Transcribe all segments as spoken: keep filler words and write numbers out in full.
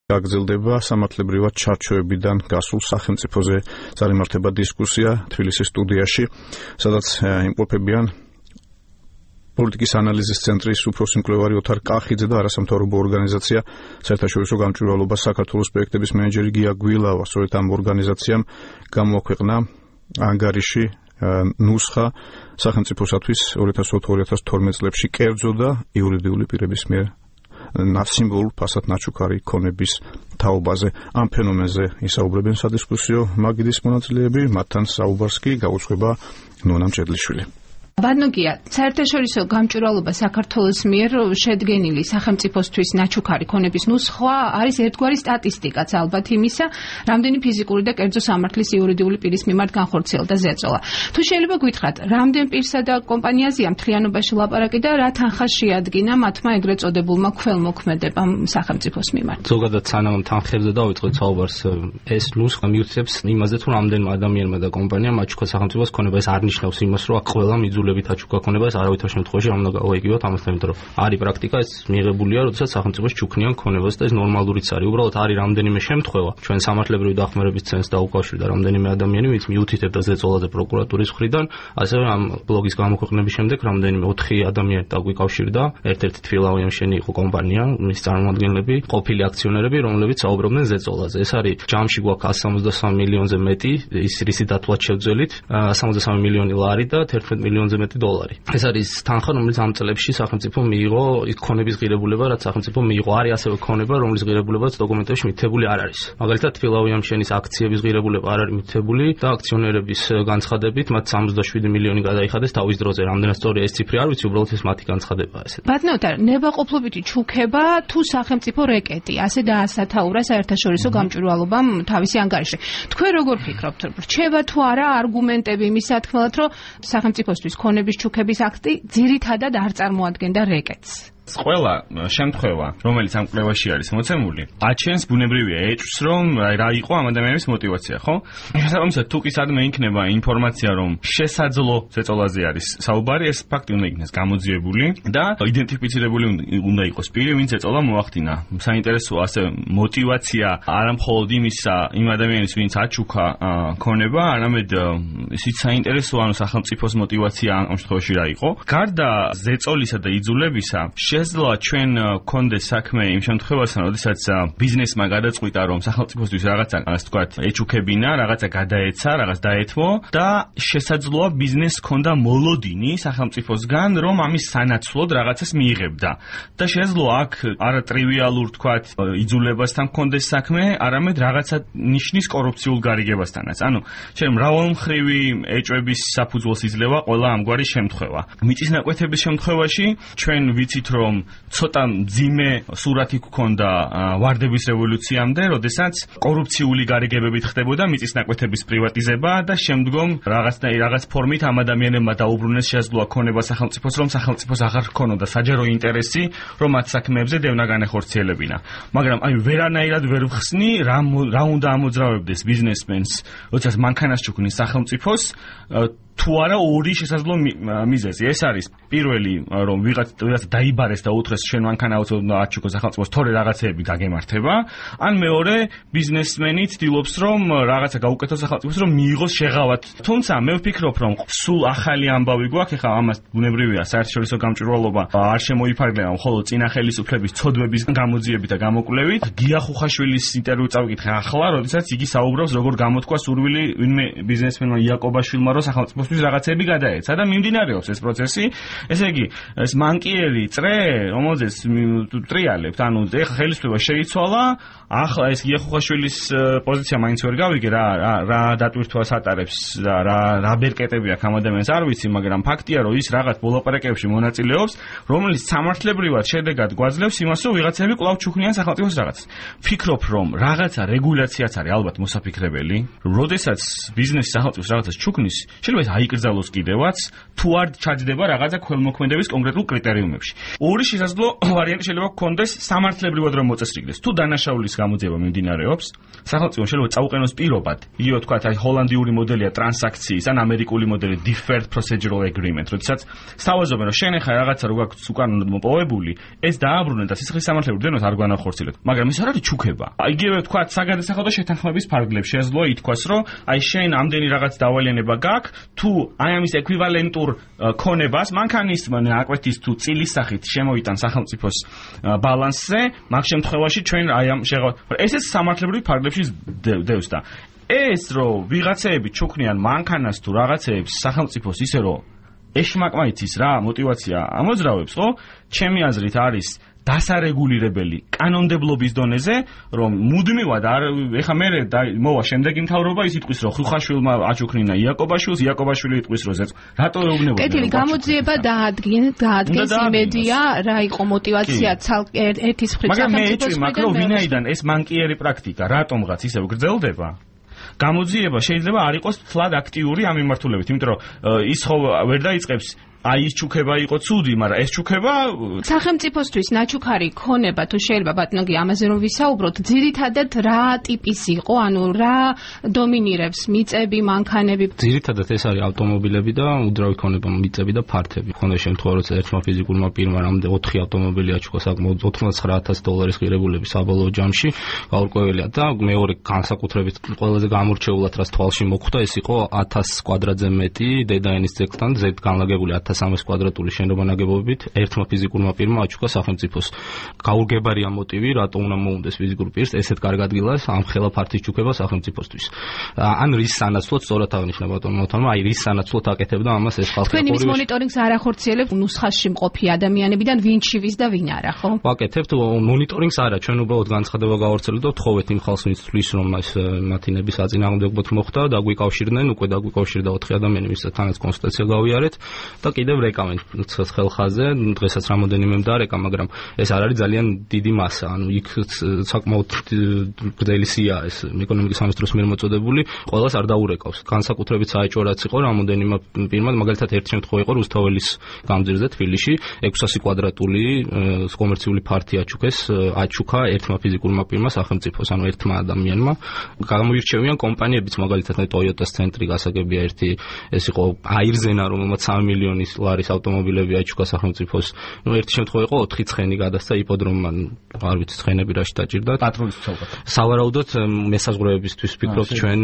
გაგრძელდება სამართლებრივად ჩარჩოებიდან გასულ სახელმწიფოზე წარიმართება დისკუსია თბილისის სტუდიაში, სადაც იმყოფებიან პოლიტიკის ანალიზის ცენტრის უფროსი მკვლევარი ოთარ კახიძე და არასამთავრობო ორგანიზაცია საერთაშორისო გამჭვირვალობა საქართველოს პროექტების მენეჯერი გია გვილავა. სწორედ ამ ორგანიზაციამ გამოაქვეყნა ანგარიში ნუსხა სახელმწიფოსათვის ორი ათას ოთხ ორი ათას თორმეტ წლებში კერძო და იურიდიული პირების მიერ სიმბოლურ ფასად ნაჩუქარი ქონების თაობაზე. ამ ფენომენზე ისაუბრებენ სადისკუსიო მაგიდის მონაწილეები, მათთან საუბარს კი გაუძღვება ნონა მჭედლიშვილი. ბადნოგია, საერთაშორისო გამჭვირვალობა საქართველოს მიერ შედგენილი სახელმწიფოსთვის ნაჩუქარი ქონების ნუსხა არის ერთგვარი სტატისტიკაც ალბათ იმისა, რამდენი ფიზიკური და კერძო სამართლის იურიდიული პირის მიმართ განხორციელდა ზეწოლა. თუ შეიძლება გითხრათ, რამდენ პირსა და კომპანიაზეა მთლიანობაში ლაპარაკი და რა თანხა შეადგინა მათმა ეგრეთ წოდებულმა ქველმოქმედებამ სახელმწიფოს მიმართ? ზოგადად სანამ თანხებზე დავიწყოთ საუბარს, ეს ნუსხა მიუთითებს იმაზე, თუ რამდენმა ადამიანმა და კომპანიამ აჩუქა სახელმწიფოს ქონება. ეს არ ნიშნავს იმას, რომ ყველა მიძულ აჩუქა ქონებას არავითარ შემთხვევაში არ უნდა გავაიგივოთ ამასთან, იმიტომ რომ არის პრაქტიკა, ეს მიიღებულია, როდესაც სახელმწიფოს ჩუქნიან ქონებას და ეს ნორმალურიც არის. უბრალოდ არის რამდენიმე შემთხვევა, ჩვენ სამართლებრივი დახმარების ცენტრს დაუკავშირდა რამდენიმე ადამიანი, ვინც მიუთითებდა ზეწოლაზე პროკურატურის მხრიდან, ასევე ამ ბლოგის გამოქვეყნების შემდეგ რამდენიმე ოთხი ადამიანი დაგვიკავშირდა, ერთ-ერთი თბილავიამშენი იყო კომპანია, მის წარმომადგენლები, ყოფილი აქციონერები, რომლებიც საუბრობდნენ ზეწოლაზე. ეს არის ჯამში გვაქვს εκατს სამოცდასამი მილიონზე მეტი, ის რისი დათვლაც შევძველით, εκατს სამოცდასამი მილიონი ლარი და თერთმეტ მილიონზე მეტი დოლარი. ეს არის თანხა, რომელიც ამ წლებში სახელმწიფო მიიღო იქ ქონების ღირებულება, რაც სახელმწიფო მიიღო. არის ასევე ქონება, რომლის ღირებულებაც დოკუმენტებში მითითებული არ არის. მაგალითად, თბილავიამშენის აქციების ღირებულება არ არის მითითებული და აქციონერების განცხადებით მათ სამოცდაშვიდი მილიონი გადაიხადეს თავის დროზე. რამდენად სწორია ეს ციფრი არ ვიცი, უბრალოდ ეს მათი განცხადებაა ესე. ბატონო, ნებაყოფლობითი ჩუქება თუ სახელმწიფო რეკეტი, ასე დაასათაურა საერთაშორისო გამჭვირვალობამ თავისი ანგარიში. თქვენ როგორ ფიქრობთ, რჩება თუ არა არგუმენტები იმის სათქმელად, რომ სახელმწიფოსთვის ქონების ჩუქების აქტი ძირითადად არ წარმოადგენდა რეკეტს? ყველა შემთხვევა, რომელიც ამ კვლევაში არის მოცემული, აჩენს ბუნებრივია ეჭვს, რომ რა იყო ამ ადამიანის мотиваცია, ხო? შესაბამისად, თუ კი სადმე იქნება ინფორმაცია, რომ შესაძლო ზეწოლაზე არის საუბარი, ეს ფაქტი უნდა იქნეს გამოძიებული და იდენტიფიცირებული უნდა იყოს პირი, ვინც ზეწოლა მოახდინა. საინტერესოა ასე мотиваცია არა მხოლოდ იმისა, იმ ადამიანის, ვინც აჩუქა ქონება, არამედ ისიც საინტერესოა, ანუ სახელმწიფოს мотиваცია ამ შემთხვევაში რა იყო. გარდა ზეწოლისა და იძულებისა, შესაძლოა ჩვენ გქონდეს საქმე იმ შემთხვევასთან, როდესაც ბიზნესმა გადაწყვიტა, რომ სახელმწიფოსთვის რაღაცა, ასე ვთქვათ, ეჩუქებინა, რაღაცა გადაეცა, რაღაც დაეთმო და შესაძლოა ბიზნესს ჰქონდა მოლოდინი სახელმწიფოსგან, რომ ამის სანაცვლოდ რაღაცას მიიღებდა. და შესაძლოა აქ არა ტრივიალურ, ვთქვათ, იძულებასთან ჰქონდეს საქმე, არამედ რაღაცა ნიშნის კორუფციულ გარიგებასთანაც. ანუ ჩვენ მრავალმხრივი ეჭვების საფუძველს იძლევა ყველა ამგვარი შემთხვევა. მიწისნაკვეთების შემთხვევაში ჩვენ ვიცით, რომ ცოტა მძიმე სურათი გქონდა ვარდების რევოლუციამდე, როდესაც კორუფციული გარიგებებით ხდებოდა მიწისნაკვეთების პრივატიზება და შემდგომ რაღაცნაირ რაღაც ფორმით ამ ადამიანებმა დაუბრუნეს შესაძლოა ქონება სახელმწიფოს, რომ სახელმწიფოს აღარ ჰქონოდა საჯარო ინტერესი, რომ მათ საქმეებზე დევნა განეხორციელებინა. მაგრამ აი ვერანაირად ვერ ვხსნი, რა რა უნდა ამოძრავებდეს ბიზნესმენს, როდესაც მანქანას ჩუქნის სახელმწიფოს, თუ არა ორი შესაძლო მიზეზი. ეს არის პირველი, რომ ვიღაც ვიღაც დაიბარეს და უთხრეს შენ მანქანა აუცილებლად აჩუქო სახელმწიფოს, თორე რაღაცეები გაგემართება, ან მეორე ბიზნესმენი ცდილობს, რომ რაღაცა გაუკეთოს სახელმწიფოს, რომ მიიღოს შეღავათ. თუმცა მე ვფიქრობ, რომ სულ ახალი ამბავი გვაქვს, ეხლა ამას ბუნებრივია საერთაშორისო გამჭვირვალობა არ შემოიფარგლება მხოლოდ წინა ხელისუფლების ცოდვების გამოძიებით და გამოკვლევით. გია ხუხაშვილის ინტერვიუ წავიკითხე ახლა, როდესაც იგი საუბრობს, როგორ გამოთქვა სურვილი ვინმე ბიზნესმენმა იაკობაშვილმა, რომ სახელმწიფოს რაღაცები გადაეცა და მიმდინარეობს ეს პროცესი. ესე იგი, ეს მანკიერი წრე, რომელზეც ტრიალებთ, ანუ ეხლა ხელისუფლება შეიცვალა, ახლა ეს გიახუხაშვილის პოზიცია მაინც ვერ გავიგე, რა რა დატვირთვას ატარებს და რა რა ბერკეტები აქვს ამ ადამიანს არ ვიცი, მაგრამ ფაქტია, რომ ის რაღაც ბოლოპარაკებში მონაწილეობს, რომელიც სამართლებრივად შედეგად გვაძლევს იმას, რომ ვიღაცები კვლავ ჩუქნიან სახელმწიფოს რაღაცას. ფიქრობ, რომ რაღაცა რეგულაციაც არის ალბათ მოსაფიქრებელი, როდესაც ბიზნესი სახელმწიფოს რაღაცას ჩუქნის, შეიძლება აიკრძალოს კიდევაც, თუ არ ჩაჯდება რაღაცა ქველმოქმედების კონკრეტულ კრიტერიუმებში. ორი ორი შესაძლო ვარიანტი შეიძლება გქონდეს სამართლებრივად რომ მოწესრიგდეს. თუ დანაშაულის გამოძიება მიმდინარეობს, სახელმწიფო შეიძლება წაუყენოს პირობად. იგივე თქვა, აი ჰოლანდიური მოდელია ტრანზაქციის ან ამერიკული მოდელი deferred procedural agreement, როდესაც სთავაზობენ რომ შენ ახლა რაღაცა რო გაქვს უკანონოდ მოპოვებული, ეს დააბრუნე და სისხლის სამართლებრივ დენოს არ განახორციელოთ. მაგრამ ის არ არის ჩუქება. იგივე თქვა, საგადასახადო შეთანხმების ფარგლებში შესაძლოა ითქვას, რომ აი შენ ამდენი რაღაც დავალიანება გაქვს, თუ აი ამის ეკვივალენტურ ქონებას მანქანისმან აკვეთის თუ წილის სახით შემოიტან სახელმწიფოს ბალანსზე, მაგ შემთხვევაში ჩვენ აი ამ შეღავ ესეც სამართლებრივ ფარგლებში დევს და ეს რომ ვიღაცეები ჩუქნიან მანქანას თუ რაღაცეებს სახელმწიფოს ისე რომ ეშმაკმაიცის რა мотиваცია ამოძრავებს, ხო? ჩემი აზრით არის დასარეგულირებელი კანონმდებლობის დონეზე, რომ მუდმივად არ ეხა მე მოვა შემდეგი მთავრობა ის იტყვის, რომ ხუხაშვილმა აჩუქნინა იაკობაშვილს, იაკობაშვილი იტყვის, რომ ზეც რატო ეუბნებოდნენ. კეთილი გამოძიება დაადგენ, დაადგენს იმედია, რა იყო мотиваცია ცალკე ერთის მხრივ სახელმწიფოს. მაგრამ მე ეჭვი მაქვს, რომ ვინაიდან ეს მანკიერი პრაქტიკა რატომღაც ისევ გრძელდება, გამოძიება შეიძლება არ იყოს ფლად აქტიური ამ მიმართულებით, იმიტომ რომ ის ხო ვერ დაიწყებს აი ის ჩუქება იყო ცუდი, მაგრამ ეს ჩუქება სახელმწიფოსთვის ნაჩუქარი ქონება თუ შეიძლება ბატონგი ამაზე რომ ვისაუბროთ, ძირითადად რა ტიპის იყო, ანუ რა დომინირებს, მიწები, მანქანები? ძირითადად ეს არის ავტომობილები და უძრავი ქონება, მიწები და ფართები. ქონდა შემთხვევა, როცა ერთმა ფიზიკურმა პირმა რამოდენიმე ოთხი ავტომობილი აჩუქა საკმაოდ ოცდათხმეტ ათას დოლარის ღირებულები საბოლოო ჯამში, გაურკვეველია და მეორე განსაკუთრებით ყველაზე გამორჩეულად რაც თვალში მოხვდა, ეს იყო ათას კვადრატზე მეტი დედაენის ძეგლთან ზედ განლაგებული ათას სამას კვადრატული შენობა ნაგებობით ერთმა ფიზიკურმა პირმა აჩუქა სახელმწიფოს. გაურგებარია მოტივი, რატო უნდა მოუნდეს ფიზიკურ პირს ესეთ კარგ ადგილას ამ ხელა ფართის ჩუქება სახელმწიფოსთვის. ან რის სანაცვლოდ სწორად აღნიშნა ბატონო მოთანმა, აი რის სანაცვლოდ აკეთებდა ამას ეს ხალხი. თქვენ იმის მონიტორინგს არ ახორციელებთ ნუსხაში მყოფი ადამიანებიდან ვინ ჩივის და ვინ არა, ხო? ვაკეთებთ მონიტორინგს არა, ჩვენ უბრალოდ განცხადება გავავრცელებთ და ვთხოვეთ იმ ხალხს, ვინც თვლის რომ ეს მათინების აწინააღმდეგობოდ მოხდა, დაგვიკავშირდნენ, უკვე დაგვიკავშირდა ოთხი ადამიანი, ვისაც კონსულტაცია გავიარეთ და კიდევ რეკავენ ხელხაზე, დღესაც რამოდენიმე მდარეკა, მაგრამ ეს არ არის ძალიან დიდი მასა, ანუ იქ საკმაოდ გრძელი სია ეს ეკონომიკის სამინისტროს მიერ მოწოდებული, ყველას არ დაურეკავს. განსაკუთრებით საეჭვო რაც იყო რამოდენიმე პირმა, მაგალითად ერთი შემთხვევა იყო რუსთაველის გამზირზე თბილისში, ექვსასი კვადრატული კომერციული ფართი აჩუქეს, აჩუქა ერთმა ფიზიკურმა პირმა სახელმწიფოს, ანუ ერთმა ადამიანმა. გამოირჩევიან კომპანიებიც, მაგალითად Toyota-ს ცენტრი გასაგებია ერთი, ეს იყო აირზენა, რომელმაც სამი მილიონი ლარის ავტომობილები აჩუქა სახელმწიფოს. ნუ ერთი შემთხვევა იყო ოთხი ცხენი გადასცა იპოდრომმა, არ ვიცი ცხენები რაში დაჭირდა. პატრულის ცალკე. სავარაუდოდ მესაზღვრეებისთვის ვფიქრობთ ჩვენ,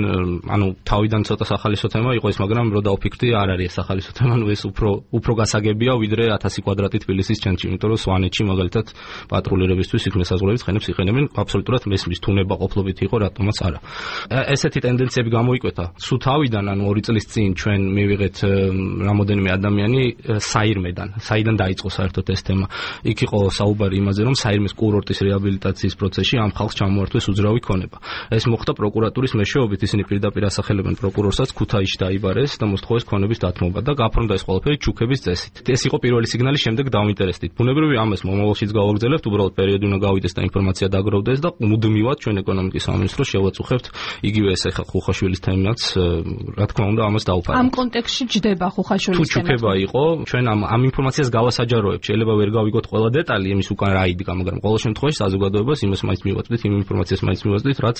ანუ თავიდან ცოტა სახალისო თემა იყო ეს, მაგრამ რო დავფიქრდი, არ არის ეს სახალისო თემა, ნუ ეს უფრო უფრო გასაგებია ვიდრე ათასი კვადრატი თბილისის ცენტრში, იმიტომ რომ სვანეთში მაგალითად პატრულირებისთვის იქ მესაზღვრეების ცხენებს იყენებენ, აბსოლუტურად მესმის თუნება ყოფილობით იყო, რატომაც არა. ესეთი ტენდენციები გამოიკვეთა. სულ თავიდან, ანუ ორი წლის წინ ჩვენ მივიღეთ რამოდენიმე ადამიანი საირმედან, საიდან დაიწყო საერთოდ ეს თემა. იქ იყო საუბარი იმაზე, რომ საირმეს კურორტის რეაბილიტაციის პროცესში ამ ხალხს ჩამოართვეს უძრავი ქონება. ეს მოხდა პროკურატურის მეშვეობით, ისინი პირდაპირ ასახელებენ პროკურორსაც, ქუთაისში დაიბარეს და მოსთხოვეს ქონების დათმობა და გაფორმდა ეს ყველაფერი ჩუქების წესით. ეს იყო პირველი სიგნალი, შემდეგ დავინტერესდით. ბუნებრივია ამას მომავალშიც გავაგრძელებთ, უბრალოდ პერიოდი უნდა გავიდეს და ინფორმაცია დაგროვდეს და მუდმივად ჩვენ ეკონომიკის სამინისტროს შევაწუხებთ იგივე ეს ახლა ხუხაშვილის თემაც, რა თქმა უნდა, ამას დავუფარავთ. ამ კონტექსტში ჯდება ხუხაშვილის თემა. თუ ჩუქება იყო, ჩვენ ამ ამ ინფორმაციას გავასაჯაროებთ. შეიძლება ვერ გავიგოთ ყველა დეტალი იმის უკან რა იდგა, მაგრამ ყოველ შემთხვევაში საზოგადოებას იმას მაინც მივაწვდით, იმ ინფორმაციას მაინც მივაწვდით, რაც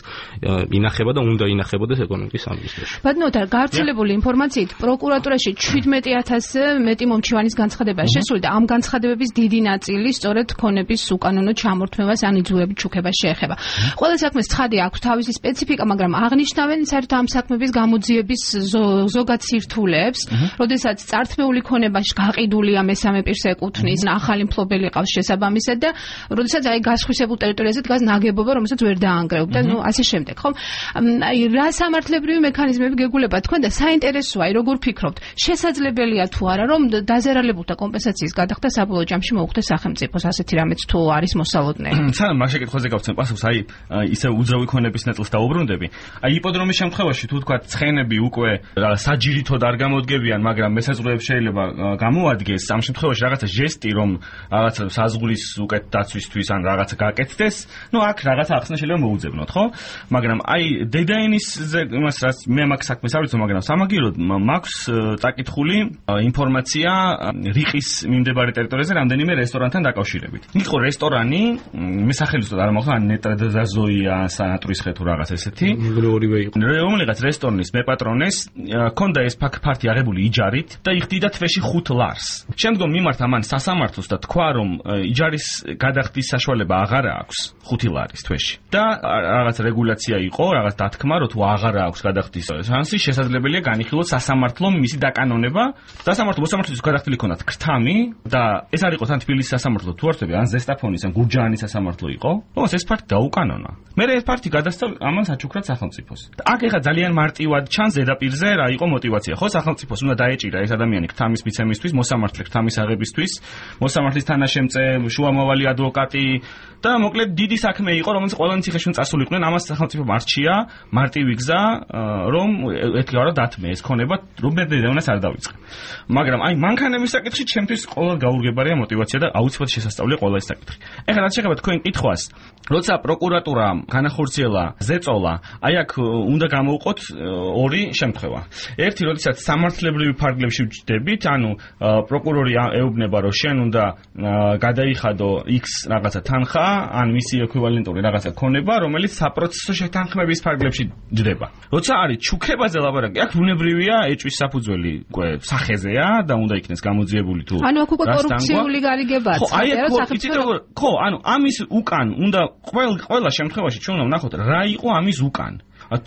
ინახება და უნდა ინახებოდეს ეკონომიკის სამინისტროში. ბატონო, და გავრცელებული ინფორმაციით პროკურატურაში შვიდმეტი ათასზე მეტი მომჩივანის განცხადებაა შესული და ამ განცხადებების დიდი ნაწილი სწორედ ქონების უკანონო ჩამორთმევას ან იძულებით ჩუქებას შეეხება. ყველა საქმეს ცხადი აქვს თავისი სპეციფიკა, მაგრამ აღნიშნავენ საერთოდ ამ საქმების გამოძიების ზოგად სირთულეებს, როდესაც წართმეული ქონებაში გაყიდულია მესამე პირს ეკუთვნის, ახალი მფლობელი ყავს შესაბამისად და როდესაც აი გასხვისებულ ტერიტორიაზე დგას ნაგებობა, რომელსაც ვერ დაანგრევებ და ნუ ასე შემდეგ, ხო? აი რა სამართლებრივი მექანიზმები გეგულებათ თქვენ და საინტერესოა, აი როგორ ფიქრობთ, შესაძლებელია თუ არა, რომ დაზერალებულთა კომპენსაციის გადახდა საბოლოო ჯამში მოუხდეს სახელმწიფოს, ასეთი რამეც თუ არის მოსალოდნელი? სანამ მას შეკითხვაზე გავცემ პასუხს, აი ისე უძრავი ქონების ნაწილს დაუბრუნდები. აი იპოდრომის შემთხვევაში თუ თქვა ცხენები უკვე საჯირითოდ არ გამოდგებიან, მაგრამ მესაზღვრეებს შეიძლება გამოადგეს ამ შემთხვევაში რაღაცა ჟესტი, რომ რაღაცა საზღვრის უკეთ დაცვისთვის ან რაღაცა გაკეთდეს, ну აქ რაღაცა ახსნა შეიძლება მოუძებნოთ, ხო? მაგრამ აი დედაენის იმას რაც მე მაგ საქმეს არ ვიცი, მაგრამ სამაგიეროდ მაქვს წაკითხული ინფორმაცია რიყის მიმდებარე ტერიტორიაზე რამდენიმე რესტორანთან დაკავშირებით. იყო რესტორანი, მე სახელმწიფო არ მახსოვს, ან ნეტრადაზოია, სანატურის ხე თუ რაღაც ესეთი. ორივე იყო. რომელიღაც რესტორნის მეპატრონეს ქონდა ეს ფაქტი აღებული იჯარით და იხდიდა თვეში ხუთ ლარს. შემდგომ მიმართა მან სასამართლოს და თქვა, რომ იჯარის გადახდის საშუალება აღარა აქვს ხუთი ლარის თვეში. და რაღაც რეგულაცია იყო, რაღაც დათქმა, რომ თუ აღარა აქვს გადახდის შანსი, შესაძლებელია განიხილოს სასამართლომ მისი დაკანონება. სასამართლო მოსამართლეთვის გადახდილი ქონდათ ქრთამი და ეს არ იყო თან თბილისის სასამართლო თუ არ ვთქვი, ან ზესტაფონის ან გურჯაანის სასამართლო იყო. ოს ეს ფაქტი დაუკანონა. მე ეს ფაქტი გადასცა ამან საჩუქრად სახელმწიფოს. აქ ეხა ძალიან მარტივად ჩანს ზედაპირზე რა იყო мотиваცია. ხო, სახელმწიფოს უნდა დაეჭირა ეს ადამიანი ქრთამის მიცემისთვის, მოსამართლე ქრთამის აღებისთვის, მოსამართლის თანაშემწე, შუამავალი ადვოკატი და მოკლედ დიდი საქმე იყო, რომელიც ყველანი ციხეში წასულიყვნენ. ამას სახელმწიფომ არჩია მარტივი გზა, რომ ეთქვა რა დათმე ეს ქონება, რომ მე დედაუნას არ დავიწყე. მაგრამ აი მანქანების საკითხში ჩემთვის ყოველ გაურგებარია мотиваცია და აუცილებლად შესასწავლია ყველა ეს საკითხი. ეხლა რაც შეეხება თქვენ კითხვას, როცა პროკურატურამ განახორციელა ზეწოლა, აი აქ უნდა გამოვყოთ ორი შემთხვევა. ერთი, როდესაც სამართლებრივი ფარგლებში ვჯდებით, ანუ პროკურორი ეუბნება, რომ შენ უნდა გადაიხადო X რაღაცა თანხა, ან მისი ეკვივალენტური რაღაცა ქონება, რომელიც საპროცესო შეთანხმების ფარგლებში ჯდება. როცა არის ჩუქებაზე ლაბარაკი, აქ ბუნებრივია ეჭვის საფუძველი უკვე სახეზეა და უნდა იქნეს გამოძიებული თუ ანუ აქ უკვე კორუფციული გარიგებაა. ხო, აი აქ ხო, ანუ ამის უკან უნდა ყველა ყველა შემთხვევაში ჩვენ უნდა ვნახოთ რა იყო ამის უკან.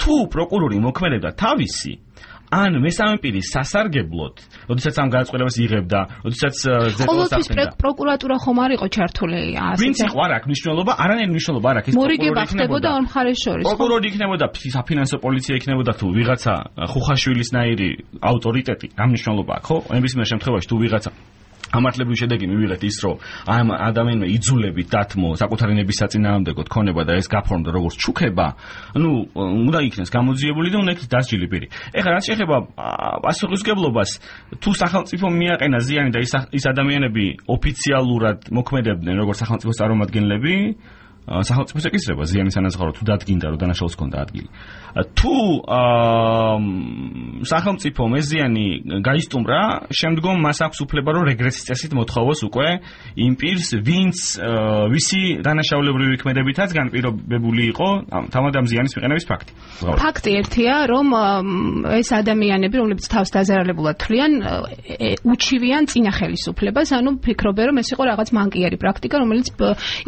თუ პროკურორი მოქმედებდა თავისი ან მესამე პირის სასარგებლოდ, როდესაც ამ გადაწყვეტილებას იღებდა, როდესაც ზეწოლას ახდენდა. ყოველთვის პროკურატურა ხომ არ იყო ჩართული ასე. ვინც იყო არ აქვს მნიშვნელობა, არანაირი მნიშვნელობა არ აქვს. მორიგება ხდებოდა ორ მხარეს შორის. პროკურორი იქნებოდა, საფინანსო პოლიცია იქნებოდა თუ ვიღაცა ხუხაშვილისნაირი ავტორიტეტი, ამ მნიშვნელობა აქვს, ხო? ნებისმიერ შემთხვევაში თუ ვიღაცა ამართლებრივი შედეგი მივიღეთ ის, რომ ამ ადამიანმა იძულებით დათმო საკუთარი ნების საწინააღმდეგოდ ქონება და ეს გაფორმდა როგორც ჩუქება, ну, უნდა იქნეს გამოძიებული და უნდა იქნეს დასჯილი პირი. ეხლა რაც შეეხება პასუხისმგებლობას, თუ სახელმწიფომ მიაყენა ზიანი და ის ადამიანები ოფიციალურად მოქმედებდნენ როგორც სახელმწიფოს წარმომადგენლები, სახელმწიფოს ეკისრება ზიანის ანაზღაურება თუ დადგინდა რომ დანაშაულს ჰქონდა ადგილი. თუ სახელმწიფომ ეს ზიანი გაისტუმრა, შემდგომ მას აქვს უფლება რომ რეგრესის წესით მოთხოვოს უკვე იმ პირს, ვინც ვისი დანაშაულებრივი ქმედებითაც განპირობებული იყო თავად ამ ზიანის მიყენების ფაქტი. ფაქტი ერთია, რომ ეს ადამიანები, რომლებიც თავს დაზარალებულად თვლიან, უჩივიან წინა ხელისუფლებას, ანუ ფიქრობენ რომ ეს იყო რაღაც მანკიერი პრაქტიკა, რომელიც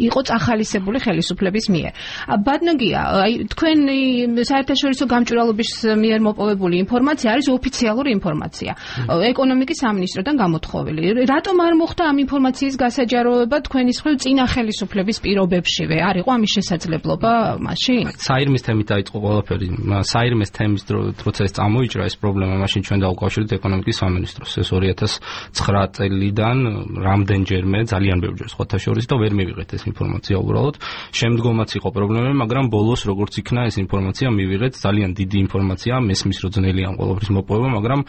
იყო წახალისებული ხელისუფლების მიერ. ბადნოგია, აი თქვენი საერთაშორისო გამჭვირვალობის მიერ მოპოვებული ინფორმაცია არის ოფიციალური ინფორმაცია. ეკონომიკის სამინისტროდან გამოთხოვილი. რატომ არ მოხდა ამ ინფორმაციის გასაჯაროება თქვენი მხრივ წინა ხელისუფლების პირობებშივე? არ იყო ამის შესაძლებლობა მაშინ? საირმის თემით დაიწყო ყველაფერი. საირმის თემის როცა ეს წამოიჭრა ეს პრობლემა, მაშინ ჩვენ დავუკავშირეთ ეკონომიკის სამინისტროს. ეს ორი ათას ცხრა წელიდან რამდენჯერმე ძალიან ბევრჯერ სხვათა შორის და ვერ მივიღეთ ეს ინფორმაცია უბრალოდ. შემდგომაც იყო პრობლემები, მაგრამ ბოლოს როგორც იქნა ეს ინფორმაცია მივიღეთ, ძალიან დიდი ინფორმაცია, მესმის რო ძნელი ამ ყველაფრის მოპოვება, მაგრამ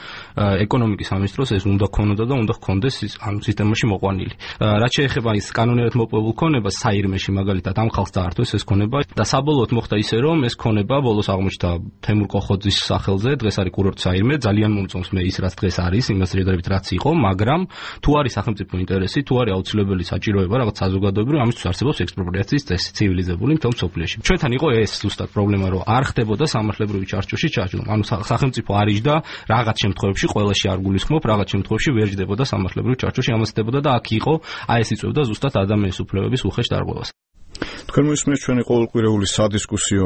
ეკონომიკის სამინისტროს ეს უნდა ქონოდა და უნდა ქონდეს ამ სისტემაში მოყვანილი. რაც შეეხება ის კანონიერად მოპოვებულ ქონებას საირმეში მაგალითად ამ ხალხს დაართვეს ეს ქონება და საბოლოოდ მოხდა ისე, რომ ეს ქონება ბოლოს აღმოჩნდა თემურ კოხოძის სახელზე, დღეს არის კურორტ საირმე, ძალიან მომწონს მე ის რაც დღეს არის, იმას შედარებით რაც იყო, მაგრამ თუ არის სახელმწიფო ინტერესი, თუ არის აუცილებელი საჭიროება რაღაც საზოგადოებრივი, ამისთვის არსებობს ექსპროპრიაციის წესი ცივილიზებული მთელ მსოფლიოში. ჩვენთან იყო ეს ზუსტად პრობლემა, რომ არ ხდებოდა სამართლებრივი ჩარჩოში ჩარჩო. ანუ სახელმწიფო არიჯდა რაღაც შემთხვევებში, ყველაში არ გულისხმობ, რაღაც შემთხვევებში ვერ ჯდებოდა სამართლებრივი ჩარჩოში, ამას ხდებოდა და აქ იყო, აი ეს იწვევდა ზუსტად ადამიანის უფლებების უხეშ დარღვევას. თქვენ მოისმენთ ჩვენი ყოველკვირეული სადისკუსიო